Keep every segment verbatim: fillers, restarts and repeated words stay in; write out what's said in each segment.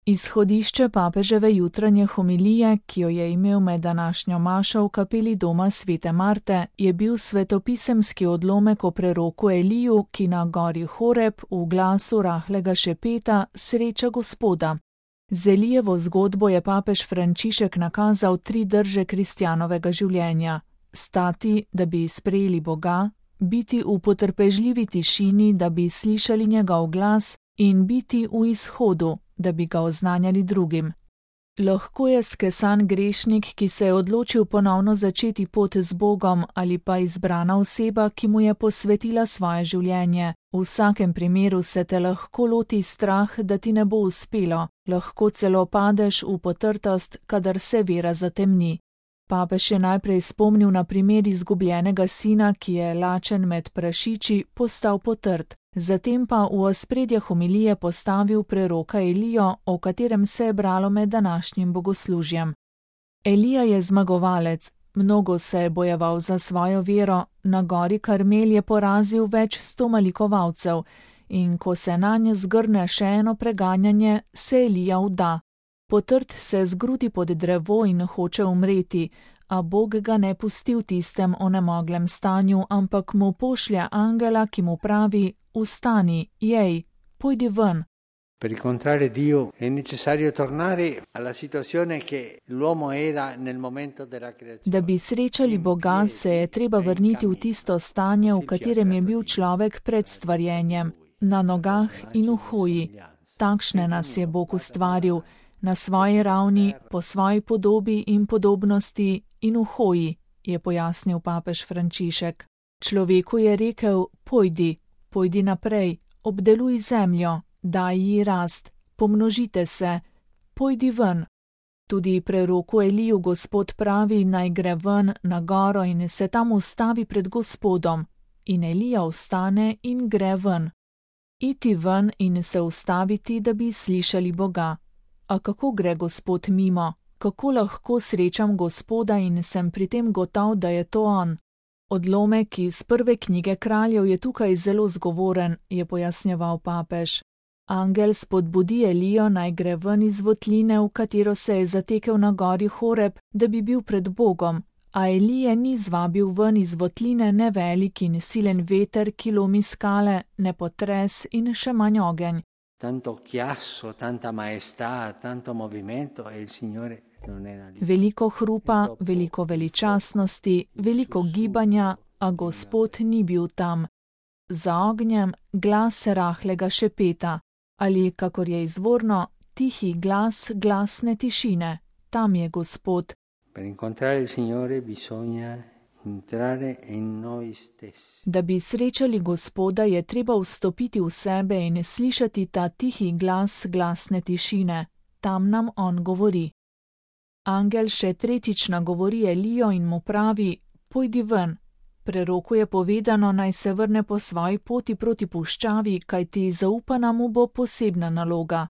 Izhodišče papeževe jutranje homilije, ki jo je imel med današnjo mašo v kapeli doma svete Marte, je bil svetopisemski odlomek o preroku Eliju, ki na gori Horeb v glasu rahlega šepeta sreča Gospoda. Z Elijevo zgodbo je papež Frančišek nakazal tri drže kristjanovega življenja: stati, da bi sprejeli Boga, biti v potrpežljivi tišini, da bi slišali njegov glas, in biti v izhodu, da bi ga oznanjali drugim. Lahko je skesan grešnik, ki se je odločil ponovno začeti pot z Bogom, ali pa izbrana oseba, ki mu je posvetila svoje življenje. V vsakem primeru se te lahko loti strah, da ti ne bo uspelo, lahko celo padeš v potrtost, kadar se vera zatemni. Papež je najprej spomnil na primer izgubljenega sina, ki je lačen med prašiči postal potrt. Zatem pa v ospredje homilije postavil preroka Elijo, o katerem se je bralo med današnjim bogoslužjem. Elija je zmagovalec, mnogo se je bojeval za svojo vero, na gori Karmel je porazil več sto malikovalcev in ko se nanje zgrne še eno preganjanje, se Elija vda. Potrt se zgrudi pod drevo in hoče umreti, a Bog ga ne pusti v tistem onemoglem stanju, ampak mu pošlje angela, ki mu pravi: Vstani, jej, pojdi ven. Per incontrare Dio è necessario tornare alla situazione che l'uomo era nel momento della creazione. Da bi srečali Boga, se je treba vrniti v tisto stanje, v katerem je bil človek pred stvarjenjem, na nogah in v hoji. Takšne nas je Bog ustvaril, na svoji ravni, po svoji podobi in podobnosti in v hoji, je pojasnil papež Frančišek. Človeku je rekel: pojdi, pojdi naprej, obdeluj zemljo, daj ji rast, pomnožite se, pojdi ven. Tudi preroku Eliju Gospod pravi, naj gre ven na goro in se tam ustavi pred Gospodom. In Elija vstane in gre ven. Iti ven in se ustaviti, da bi slišali Boga. A kako gre Gospod mimo? Kako lahko srečam Gospoda in sem pri tem gotov, da je to on? Odlomek iz prve knjige kraljev je tukaj zelo zgovoren, je pojasnjeval papež. Angel spodbudi Elijo, naj gre ven iz votline, v katero se je zatekel na gori Horeb, da bi bil pred Bogom, a Elije ni zvabil ven iz votline ne velik in silen veter, ki lomi skale, ne potres in še manj ogenj. Tanto chiasso, tanta maestà, tanto movimento e il Signore non era lì. Veliko hrupa, veliko veličastnosti, veliko gibanja, a Gospod ni bil tam. Za ognjem glas rahlega šepeta, ali, kakor je izvorno, tihi glas glasne tišine. Tam je Gospod. Per incontrare il Signore bisogna entrare in noi stessi. Da bi srečali Gospoda, je treba vstopiti v sebe in slišati ta tihi glas glasne tišine. Tam nam on govori. Angel še tretjič nagovori Elijo in mu pravi: pojdi ven. Preroku je povedano, naj se vrne po svoji poti proti puščavi, kajti zaupana mu bo posebna naloga.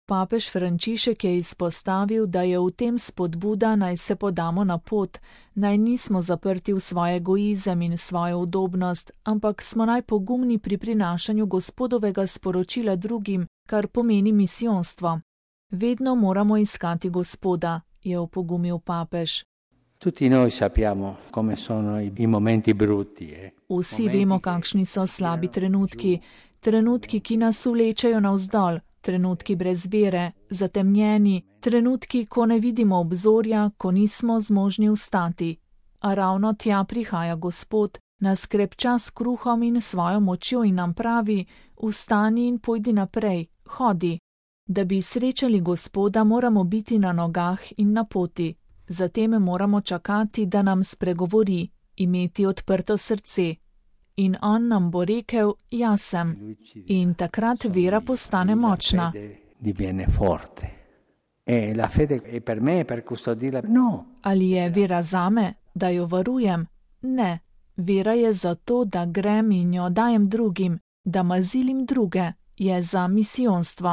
Papež Frančišek je izpostavil, da je v tem spodbuda, naj se podamo na pot, naj nismo zaprti v svoj egoizem in svojo udobnost, ampak smo najpogumni pri prinašanju Gospodovega sporočila drugim, kar pomeni misijonstvo. Vedno moramo iskati Gospoda, je opogumil papež. Tutti noi sappiamo come sono i momenti brutti. Eh? Vsi vemo, kakšni so slabi trenutki, trenutki, ki nas vlečejo navzdol, trenutki brez vere, zatemnjeni, trenutki, ko ne vidimo obzorja, ko nismo zmožni vstati. A ravno tja prihaja Gospod, nas krepča s kruhom in svojo močjo in nam pravi: vstani in pojdi naprej, hodi. Da bi srečali Gospoda, moramo biti na nogah in na poti. Zatem moramo čakati, da nam spregovori, imeti odprto srce. In on nam bo rekel: jaz sem. In takrat vera postane močna. Ali je vera zame, da jo varujem? Ne. Vera je zato, da grem in jo dajem drugim, da mazilim druge, je za misijonstvo.